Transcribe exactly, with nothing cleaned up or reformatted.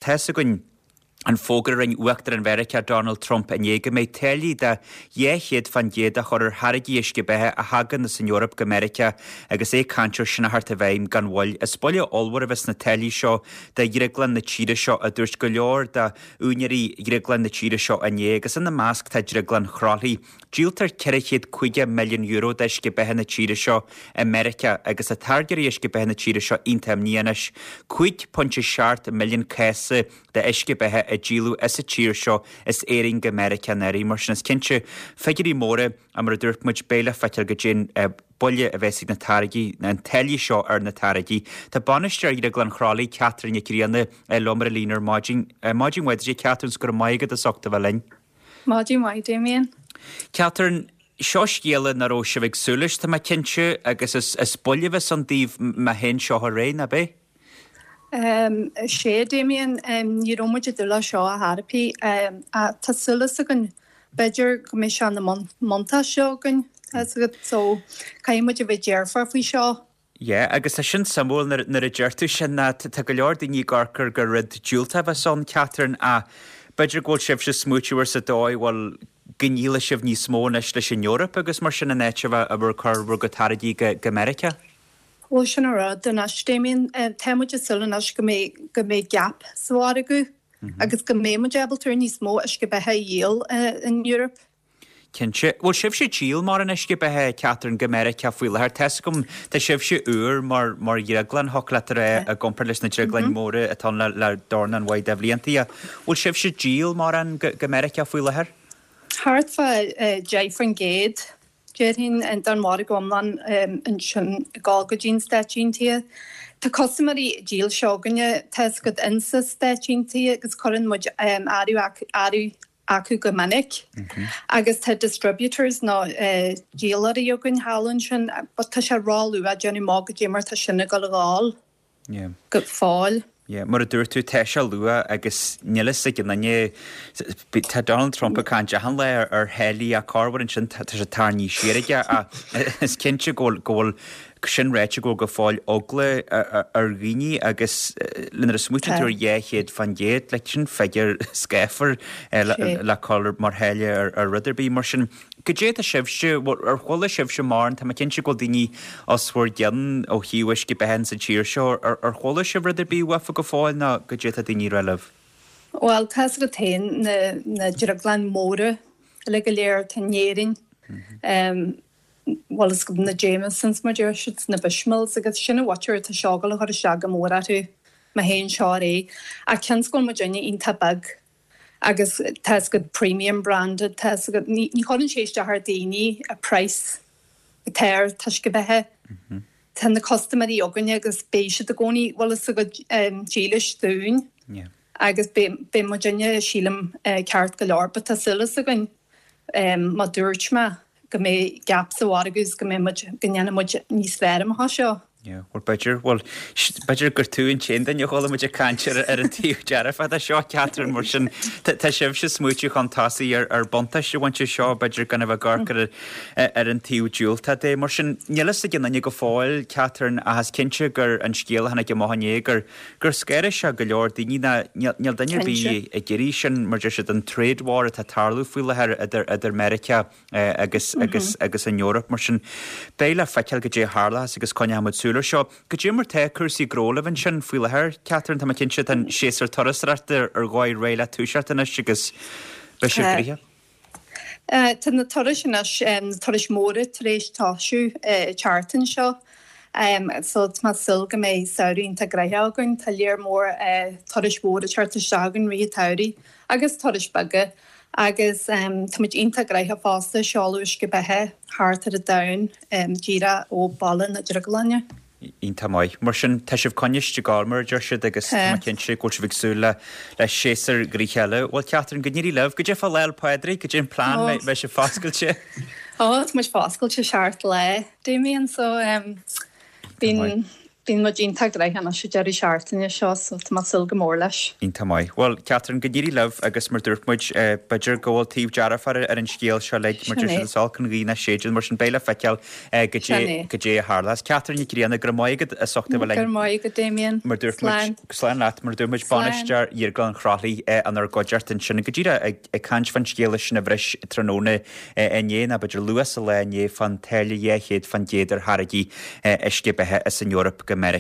Tá's againn an fógra a rinne Uachtarán Mheiriceá Donald Trump inné go mbeidh táillí de dhá chéad fán gcéad á chur ar tháirgí uisce beatha a thagann as an Eoraip go Meiriceá agus é ag caint air sin a theacht i bhfeidhm gan mhoill. Is buille ollmhór a bheas sna táillí seo do dhrioglann na tíre seo, a dúirt go leor d'úinéirí dhrioglann na tíre seo inné, agus ina measc tá Drioglann Chroithlí. Díoltar ceithre chéad caoga milliún euro d'uisce beatha na tíre seo i Meiriceá agus tá táirgeoirí uisce beatha na tíre seo iontach imníoch anois. Cúig pointe seacht milliún cása d'uisce beatha a díoladh as an tír seo as Éirinn go Meiriceá anuraidh. Mar sin is cinnte figiúirí móra a mar a dúirt muid beidh le feiceáil goidé an buille a bheas ag na táirgí, na táillí seo ar na táirgí. Tá bainisteoir Dhrioglann Chroithlí, Catherine Nic Grianna, liom ar an líne ar maidin. Maidin mhaith duit, a Catherine, 's go raibh maith agat as ucht a bheith linn. Maidin mhaith, Damien. Catherine, seo scéala nach raibh sibh ag súil leis, tá mé cinnte, agus is, is buille a bheas ann daoibh má théann seo ar aghaidh, nach ea? Um, sé Damien, um, ní raibh muid ag dúil leis seo ar chor ar bith um, tá súil againn b'fhéidir go mbeidh sé ina mbuntáiste againn so caithfidh muid a bheith dearfach faoi seo. Yeah, agus tá sin suimiúil nuair a deir tú sin ná tá go leor daoine ag amharc air gur rud diúltach a bheas ann Catherine a b'fhéidir go bhfuil sibhse ag smaoitiú ar sa dóigh bhfuil go ndíolfaidh sibh níos mó anois leis an Eoraip agus mar sin in áit a bheith ag cur bhur gcuid táirgí go, go Meiriceá. Bhuel sin an rud anois Damien tá muid ag súil anois go mbeidh go mbeidh gap sa mhargadh agus go mbeidh muid ábalta níos mó uisce beatha a dhíol in Europe. Cinnte. Bhfuil sibhse ag díol mórán uisce beatha Catherine go Meiriceá faoi láthair? Tá's agam tá sibhse úr mar mar dhrioglann thiocfadh leat a rá i gcomparáid leis na drioglainn móra atá ann le le dornán mhaith de bhlianta. Bhfuil sibhse ag díol mórán go, go Meiriceá faoi láthair? Thart fá deich faoin gcéad déarfainn don mhargadh iomlán ansin ag dul go dtí na Stáit Aontaithe. Tá custaiméirí dílse againne tá's agat insa Stáit Aontaithe agus cuireann muid earraí acu go minic. Agus tá distributors nó díoltóirí againn thall ansin, but tá sé ró-luath déanamh amach goidé mar tá sin ag dul a ghabháil go fóill. Yeah, mar a dúirt tú, tá sé luath agus níl fhios ag aon duine, tá Donald Trump ag caint achan lá ar, ar tháillí ach corruair ansin tá sé tarraingthe siar aige ach is cinnte go bhfuil, go bhfuil sin ráite go bhfuil go fóill eagla ar dhaoine agus nuair a smaoitíonn tú ar dhá chéad fán gcéad, like sin figiúr scáfar le, le cur mar tháille ar, ar rud ar bith mar sin. Goidé tá sibhse, ar chuala sibhse mórán, tá mé cinnte go bhfuil daoine os bhur gcionn ó thaobh uisce beatha sa tír seo, ar, ar chuala sibh rud ar bith uafa go fóill nó goidé tá daoine ag rá libh? Bhuel, tá's agat féin na, na drioglainn móra uilig go léir atá in Éirinn. Um, bhuel is na Jamesons mar deir siad, na Bushmills agus sin an mhuintir atá seo ag dul a chur isteach go mór orthu má théann seo ar aghaidh. Ach cionn is go bhfuil muidinne iontach beag agus tá's agat premium branded, tá's agat ní, ní chuireann sé isteach ar daoine a price atá ar uisce beatha. Tá na custaiméirí againne agus beidh siad i gcónaí bhfuil fhios agat um, dílis dúinn Yeah. agus beidh beidh muidinne sílim uh, ceart go leor, but tá súil againn um, má dúirt mé go mbeidh gap sa mhargadh agus go mbeidh muid go ndéanfaidh muid níos fearr amach as seo. Yeah, well b'fhéidir, well b'fhéidir gur tú an t-aon duine a chuala muid ag caint ar, ar an taobh dearfach de seo, Catherine, mar sin tá tá sibhse ag smaoitiú chun tosaigh ar, ar buntáiste a bhaint as seo, b'fhéidir gan a bheith ag amharc ar, ar an taobh diúltach de. Mar sin níl fhios ag aon duine go fóill, Catherine, ach is cinnte gur an scéal a tháinig amach inné gur gur scanraigh sé go leor daoine ná níl, níl duine ar bith Cinnte. ag iarraidh sin mar deir siad an trade war atá ag tarlú faoi láthair idir idir Meiriceá eh, agus agus agus an Eoraip mar sin beidh le feiceáil goidé a tharlós agus coinneoidh muid súil air seo. Goidé mar tá cúrsaí gnó libh ansin faoi láthair, Catherine, tá mé cinnte tá an séasúr turasóireachta ar dhóigh réidh le toiseacht anois agus beidh sibh Tá. gnoitheach. Uh, tá na turais anois um, na turais móra tar éis tosú uh, tseachtain seo. Um, so tá mé ag súil go mbeidh samhradh iontach gnoitheach againn, tá léir mór uh, turais mhóra teacht isteach againn i rith an tsamhraidh agus turais beaga agus um, tá muid iontach gnoitheach fosta seoladh uisce beatha thart ar an domhan um, díreach ó bhaile na drioglainne. Iontach maith. Mar sin tá sibh coinniste gal mar a deir siad agus tá Tá. mé cinnte go bhfuil sibh ag súil le le séasúr gnoitheach eile. Bhuel Catherine, go n-éirí libh, goidé fá Lá 'le Pádraig, goidé an plean Ó. beidh sibh foscailte. Ó, tá muid foscailte seacht lá, Damien, so um, bíonn Bíonn muid iontach gnoitheach anois an deireadh seachtaine seo so tá mé ag súil go mór leis. Iontach maith. Bhuel, Catherine, go n-éirí libh agus mar dúirt muid, b'fhéidir go bhfuil taobh dearfach ar an scéal seo uilig, mar deir siad is olc an ghaoth nach séideann, mar sin beidh le feiceáil goidé a tharlós. Catherine Nic Grianna, go raibh maith agat as ucht a bheith linn. Go raibh maith agat, Damien. Mar dúirt muid, slán leat, mar dúirt muid, bainisteoir Dhrioglann Chroithlí inár gcuideachta ansin go díreach ag caint fán scéala sin a bhris tráthnóna inné, nó b'fhéidir luath sa lá inné, fán táille dhá chéad fán gcéad ar tháirgí uisce beatha as an Eoraip go Meiriceá.